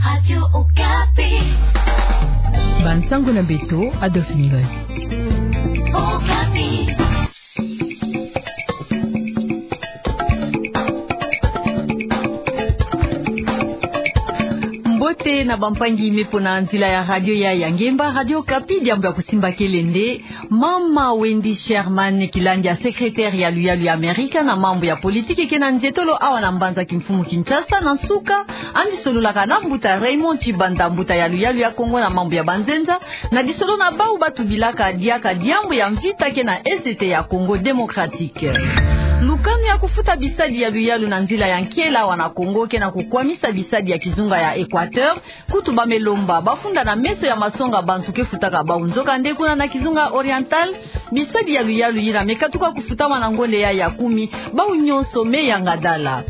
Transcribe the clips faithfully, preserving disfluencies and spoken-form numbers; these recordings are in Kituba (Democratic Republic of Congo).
Radio Okapi. Bansango na beto, Adolphine Ngoy. Okapi. Mbote na bampangi me mpo na nzila ya radio ya, ya ngemba, Radio Okapi, diambu ya kusimba kelende. Mama Wendy Sherman, kilandi ya secrétaire ya luyalu ya Amerika na mambu ya politiki ke na nzietolo awa na mbanza kimfumu Kinshasa, na nsuka, andi sololaka na mbuta Raymond Tshibanda, mbuta ya luyalu ya Kongo na mambu ya banzenza, na lisolo na bau ba tubilaka diaka diambu ya mvita ke na Est ya Congo Démocratique. Lukanu ya kufuta bisadi ya luyalu na nzila ya nkela awa na Kongo ke na kukwamisa bisadi ya kizunga ya Équateur, kutu ba me lomba ba funda na meso ya masonga bantu ke futaka bau. Nzokande kuna na kizunga Oriental, bisadi ya luyalu yina me katuka kufutama na ngonde ya ya kumi, bau nyonso me yanga dala.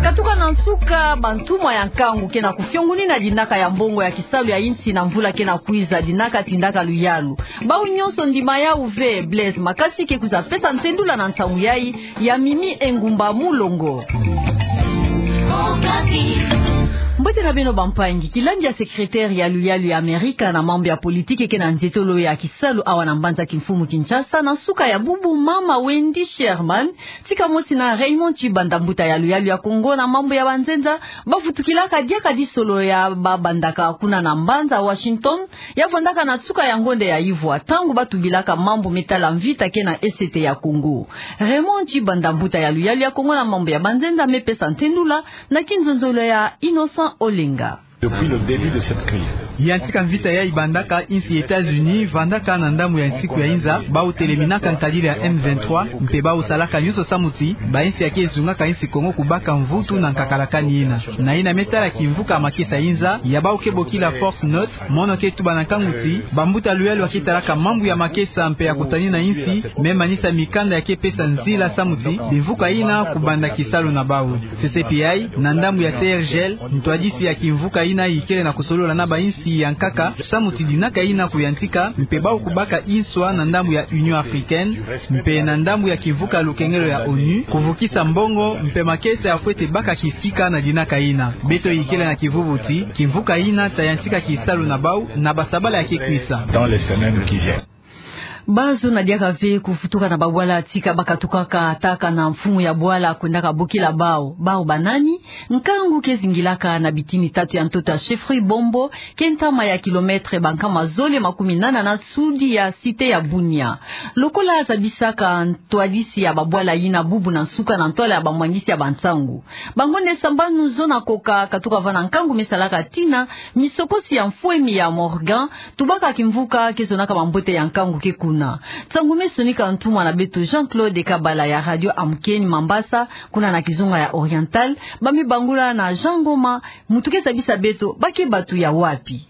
Katuka na nsuka, bantumwa ya nkangu ke na kufiongunina dinaka ya mbongo ya kisalu ya insi na mvula ke na kwiza, dinaka tindaka luyalu. Bau nyonso ndima yau ve, Blaise Makasi ke kwiza pesa ntendula na nsangu yai, ya Mimi Engumba Mulongo. Mbote na beno bampangi, kilandi ya secrétaire ya luyalu ya Amerika na mambu ya politiki ke na nzietolo ya kisalu awa na mbanza kimfumu Kinshasa, na nsuka ya bubu, mama Wendy Sherman, tika mosi na Raymond Tshibanda, mbuta ya luyalu ya Kongo na mambu ya banzenza, ba vutukilaka diaka disolo ya ba bandaka kuna na mbanza Washington, ya vandaka na nsuka ya ngonde ya ivwa, ntangu ba tubilaka mambu me tala mvita ke na Est ya Congo. Raymond Tshibanda, mbuta ya luyalu ya Kongo na mambu ya banzenza, me pesa ntendula na kinzonzolo ya Innocent Olenga. Depuis le début de cette crise. Yantika mvita yai bandaka, insi États-Unis vandaka na ndambu ya nsiku ya inza, bau teleminaka nkadila ya M vingt-trois, mpe bau salaka nyonso samu ti bainsi ya ke zungaka insi Kongo kubaka mvutu na nkakalakani yina. Na yina me tala kimvuka ya makesa inza, ya bau ke bokila Force Neutre, mono ke tuba na nkangu ti bambuta luyalu ya ke talaka mambu ya makesa mpe ya kutanina insi, me manisa mikanda ya ke pesa nzila samu ti bimvuka yina kubanda kisalu na bau. C C P I, na ndambu ya C R G L, ntwadisi ya kimvuka yina ikele na kusolola na bainsi ya nkaka samu ti dinaka yina kuyantika, mpe bau kubaka inswa na ndambu ya Union Africaine, mpe na ndambu ya kimvuka lukengelo ya ONU, kuvukisa mbongo mpe makesa ya fwete baka kisika na dinaka yina. Beto ikele na kivuvu ti kimvuka yina ta yantika kisalu na bau na basabala ya ke kwisa. Dans les semaines qui viennent. Bazo na diaka ve kuvutuka na babwala tika ba katukaka, taka na mfumu ya bwala kwendaka bokila bau. Bau banani? Nkangu ke zingilaka na bitini tatu ya ntoto ya chefferie Bombo, ke ntama ya kilomètre bankama zole makumi nana na sudi ya cité ya Bunia. Lokola zabisaka ntwadisi ya babwala yina bubu na nsuka na ntwala ya bamwangisi ya bansangu. Bangonde sambanu zo na koka katuka va na nkangu me salaka tina, misokosi ya mfwemi ya Morgan, tubaka kimvuka ke zonaka mambote ya nkangu ke kuna. Nsangu me sonika ntumwa na beto Jean-Claude Kabala ya Radio Amkeni Mambasa, kuna na kizunga ya Oriental, ba me bangula na Jean Ngoma, muntu ke zabisa beto ba ke batu ya wapi.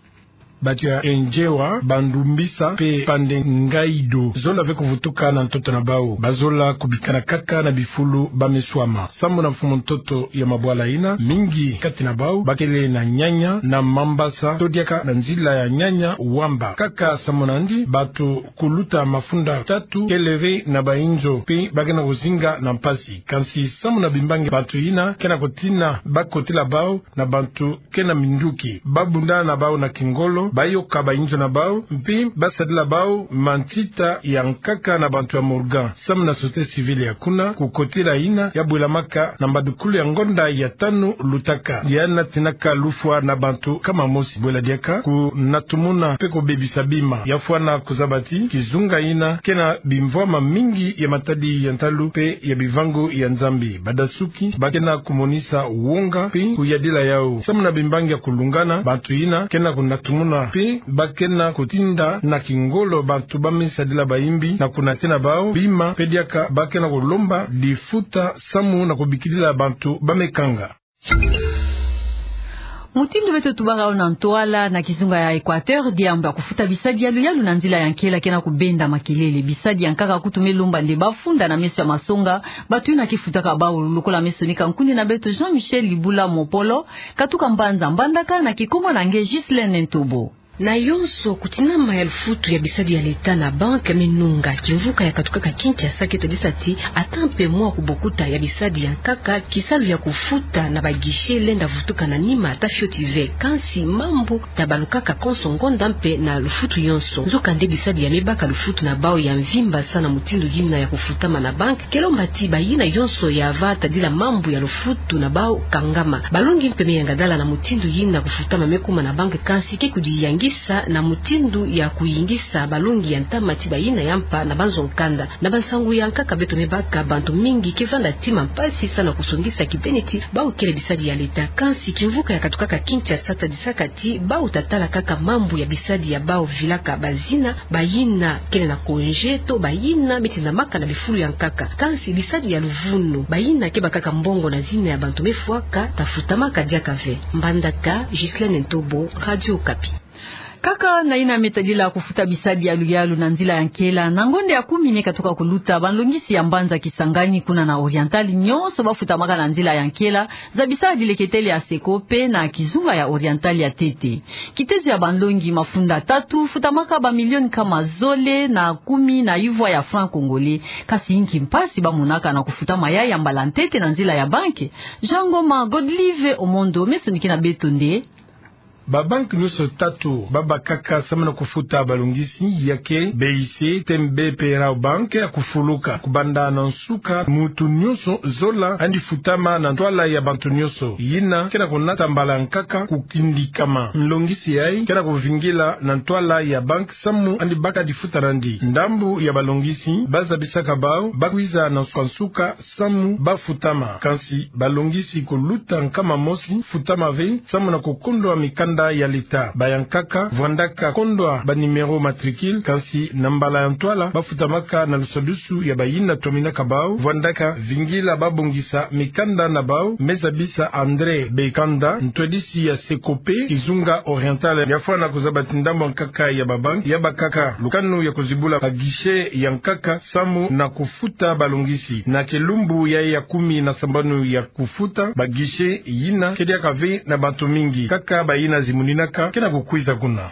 Batu ya Ndiewa, Bandumbisa, mpe Pande Ngaido, zola ve kuvutuka na ntoto na bau. Bazola kubikana kaka na bifulu ba me swama. Samu na mfumu ntoto ya mabwala yina, mingi kati na bau ba kele na Niania, na Mambasa, to diaka na nzila ya Niania Wamba. Kaka samu na yandi, batu kuluta mafunda tatu kele ve na bainzo, mpe ba ke na kuzinga na mpasi. Kansi samu na bimbangi, batu yina ke na kutina ba kotila bau na bantu ke na minduki. Ba bunda na bau na kingolo, ba yoka bainzo na bau, mpe ba sadila bau mantita ya nkaka na bantu ya Morgan. Samu na société civile ya kuna, kukotila yina ya bwelamaka na mbadukulu ya ngonda ya tanu lutaka, ya natinaka lufwa na bantu kama mosi. Bwela diaka kunatumuna mpe kubebisa bima. Ya fwana kuzaba ti kizunga yina ke na bimvwama mingi ya matadi ya ntalu mpe ya bivangu ya Nzambi. Badasuki ba ke na kumonisa wonga mpe kuyadila yau. Samu na bimbangi ya kulungana, bantu yina ke na kunatumuna mpe ba ke na kutinda na kingolo bantu ba me sadila bayimbi na kunatina bau bima, mpe diaka ba ke na kulomba difuta samu na kubikilila bantu ba me kanga. Mutindu beto tubaka yo na ntwala, na kizunga ya Équateur, diambu ya kufuta bisadi ya luyalu na nzila ya nkela ke na kubenda makelele. Bisadi ya nkaka kutu me lomba nde ba funda na meso ya masonga, batu yina ke futaka bau. Lokola me sonika nkundi na beto Jean-Michel Libula Mopolo, katuka mbanza Mbandaka, na kikombo na nge Ghislaine Ntobo. Na yonso, kutinama ya lufutu ya bisadi ya leta na banke me nunga. Kimvuka ya katukaka Kinshasa ke tadisa ti ata mpe mwa kubokuta ya bisadi ya nkaka, kisalu ya kufuta na ba guichet lenda vutuka na nima ata fioti ve. Kansi mambu tabalukaka konso ngonda mpe na lufutu yonso. Nzokande bisadi ya me baka lufutu na bawu ya mvimba sa na mutindu yina ya kufutama na banke, ke lomba ti bayina yonso ya va tadila mambu ya lufutu na bawu kangama. Balongi mpe me yangadala na mutindu yina kufutama me kuma na banke, kansi ke kudiyangisa na mutindu ya kuyingisa balongi ya ntama ti bayina ya mpa na banzo nkanda. Na bansangu ya nkaka beto me baka, bantu mingi ke vanda ntima mpasi sa na kusongisa kibeni ti bawu kele bisadi ya leta. Kansi kimvuka ya katukaka Kinshasa tadisaka ti bawu tatala kaka mambu ya bisadi ya bawu vilaka bazina, bayina kele na congé to bayina me tindamaka na bifulu ya nkaka. Kansi bisadi ya luvunu, bayina ke bakaka mbongo na zina ya bantu me fwaka, tafutamaka diaka ve. Mbandaka, Ghislaine Ntobo, Radio Okapi. Kaka na yina me tadila kufuta bisadi ya luyalu na nzila ya nkela, na ngonda ya kumi me katuka kuluta, banlongisi ya mbanza Kisangani kuna na Oriental nyonso bafutamaka na nzila ya nkela, za bisadi leketele ya Secope na kizunga ya Oriental ya ntete. Kitezo ya banlongi mafunda tatu futamaka ba milioni nkama zole na kumi na yuvwa ya franc congolais. Kasi inki mpasi bamonaka na kufutama yayi ya mbala ntete na nzila ya banke? Jean Ngoma, Godlive Omondo me sonikina beto nde. Babanke nyonso tatu babakaka samu na kufuta balongisi, ya ke B I C, T M B mpe Rabobank, ya kufuluka. Kubanda na nsuka, muntu nyonso zola andi futama na ntwala ya bantu nyonso. Yina ke na kunata mbala nkaka kukindikama. Nlongisi yayi ke na kuvingila na ntwala ya banke samu andi baka difuta nandi. Ndambu ya balongisi bazabisaka bawu bakwiza na nsuka nsuka samu bafutama. Kansi balongisi kuluta nkama mosi futama ve samu na kukondwa mikanda ya leta. Ba ya nkaka vwandaka kondwa ba numéro matricule, kansi na mbala ya ntwala bafutamaka na lusadusu ya bayina twaminaka bawu, vwandaka vingila babongisa mikanda na bawu, me zabisa André Bekanda, ntwadisi ya Secope, kizunga Oriental, ya fwana kuzaba ti ndambu ya nkaka ya babanke ya bakaka lukanu ya kuzibula ba guichet ya nkaka samu na kufuta balongisi. Na kilumbu ya, ya kumi na sambanu ya kufuta, ba guichet yina ke diaka ve na bantu mingi. Kaka bayina zimuninaka ke na kukwiza kuna.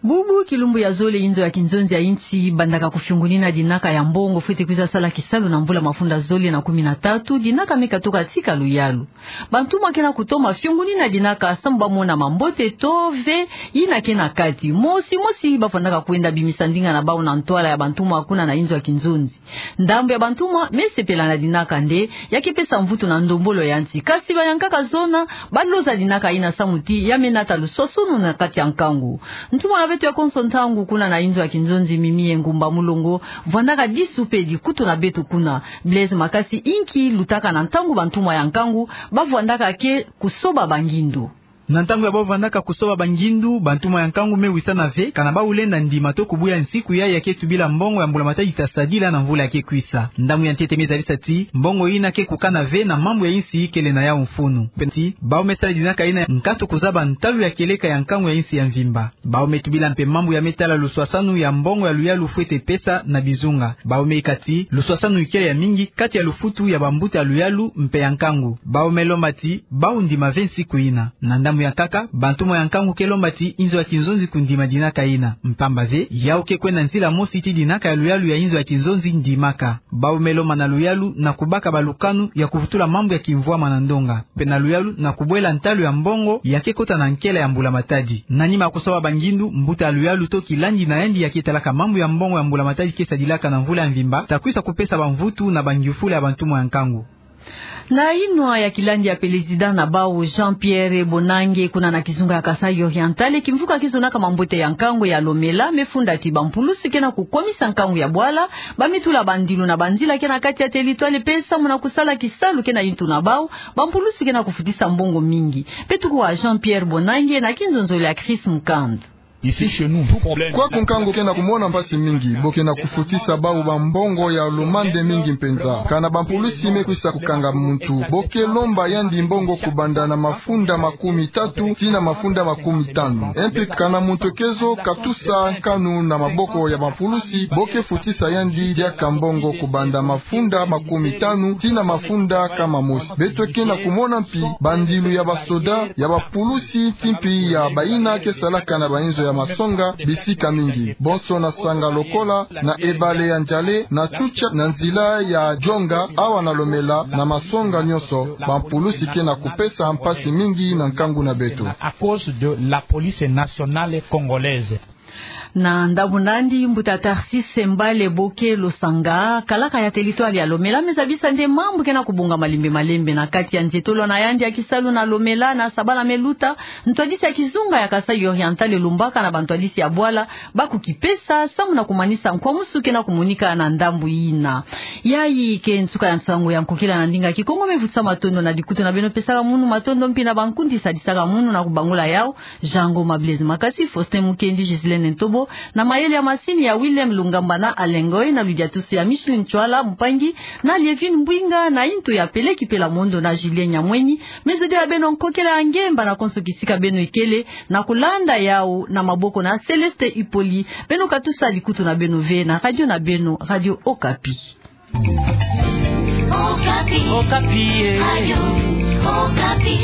Bubu kilumbu ya zole, inzo ya kinzonzi ya insi bandaka kufiongonina dinaka ya mbongo fwete kwiza sala kisalu na mvula mafunda zole na kumi na tatu. Dinaka me katuka tika luyalu. Bantumwa ke na kutoma fiongonina dinaka samu bamona mambote to ve yina ke na kati. Mosi mosi bafwanaka kwenda bimisa ndinga na bawu na ntwala ya bantumwa kuna na inzo ya kinzonzi. Ndambu ya bantumwa me sepela na dinaka nde ya ke pesa mvutu na ndombolo ya nsi. Kasi ba ya nkaka zona baloza dinaka yina samu ti ya me nata luswaswanu na kati ya nkangu. Ntumwa na beto ya konso ntangu kuna na inzo ya kinzonzi, Mimi Engumba Mulongo, vwandaka disu mpe dikutu na beto kuna. Blaise Makasi, inki lutaka na ntangu bantumwa ya nkangu bavwandaka ke kusoba bangindu? Na ntangu ya bavwandaka kusoba bangindu, bantumwa ya nkangu me wisana ve kana bawu lenda ndima to kubuya nsiku yayi ya ke tubila mbongo ya mbula-matadi tasadila na mvula ya ke kwisa. Ndambu ya ntete me zabisa ti mbongo yina ke kukana ve na mambu ya insi kele na yawu mfunu. Mpe ti bawu me sala dinaka yina nkatu kuzaba ntalu ya kieleka ya nkangu ya insi ya mvimba. Bawu me tubila mpe mambu ya me tala luswaswanu ya mbongo ya luyalu fwete pesa na bizunga. Bawu me yika ti luswaswanu ikele ya mingi kati ya lufutu ya bambuta ya luyalu mpe ya nkangu. Bawu me lomba ti bawu ndima ve nsiku yina. Na ndambu ya nkaka, bantumwa ya nkangu ke lomba ti inzo ya kinzonzi kundima dinaka yina. Mpamba ve, yawu ke kwenda nzila mosi ti dinaka ya luyalu ya inzo ya kinzonzi ndimaka. Bawu me lomba na luyalu na kubaka balukanu ya kuvutula mambu ya kimvwama na ndonga, mpe na luyalu na kubwela ntalu ya mbongo ya ke kota na nkela ya mbula-matadi. Na nima ya kusoba bangindu, mbuta ya luyalu to kilandi na yandi ya ke talaka mambu ya mbongo ya mbula-matadi ke sadilaka na mvula ya mvimba takwisa kupesa bamvutu na bangiufula ya bantumwa ya nkangu. Na inwa ya kilandi ya pelezida na bawu, Jean-Pierre Bonange, kuna na kizunga ya Kasaï Oriental, kimvuka kizonaka mambote ya nkangu ya Lomela me funda ti bampulusi ke na kukwamisa nkangu ya bwala, ba me tula bandilu na banzila ke na kati ya teritware mpe samu na kusala kisalu ke na intu na bawu, bampulusi ke na kufutisa mbongo mingi. Beto kuwa Jean-Pierre Bonange na kinzonzolo ya Chris Mukand. Ici, chez nous, tout problème. Kwaku nkangu ke na kumona mpasi mingi, bo ke na kufutisa bawu bambongo ya lumande mingi mpenza. Kana bampulusi me kwisa kukanga muntu, bo ke lomba yandi mbongo kubanda na mafunda makumi tatu tii na mafunda makumi tanu. E mpe kana muntu ke zo katusa nkanu na maboko ya bampulusi, bo ke futisa yandi diaka mbongo kubanda mafunda makumi tanu tii na mafunda nkama mosi. Beto ke na kumona mpi bandilu ya basoda, ya bapulusi, tii mpi ya bayina ke salaka na bainzo ya masonga bisika mingi, bonso na Sangha lokola na ebale ya Ndjale, na Tchoutia, na nzila ya Djonga, awa na Lomela, na masonga nyonso, bampulusi ke na kupesa mpasi mingi na nkangu na beto. À cause de la police nationale congolaise. Na ndambu na yandi, mbuta Tharcisse Mbale Boke Losanga, kalaka ya territoire ya Lomela, me zabisa nde mambu ke na kubonga malembe malembe na kati ya nzietolo na yandi ya kisalu na Lomela na sabala me luta. Ntwadisi ya kizunga ya Kasaï Oriental elumbaka na bantwadisi ya bwala ba kukipesa samu na kumanisa nkwamusu ke na kumonika na ndambu yina. Yayi ke nsuka ya nsangu ya nkokila na ndinga Kikongo. Me vutisa matondo na likutu na beno pesaka munu, matondo mpi na bankundi sadisaka munu na kubangula yawu. Jean Ngoma Blaise Makasi, Faustin Mukendi, Gislaine Ntobo, na mayele ya masini ya Willem Lungamba na Alain Ngoy, na ludiatusu ya Micheline Ntshwala, mpangi, na Lievine Mbwinga, na yintu ya Peleki Pela Mondo na Julien Nyamwenyi. Me zodila beno nkokila ya ngemba na konso kisika beno ikele, na kulanda yawu na maboko na Céleste Ipoli. Beno katusa likutu na beno ve na radio na beno, Radio Okapi. Okapi. Okapi, eh. Radio Okapi.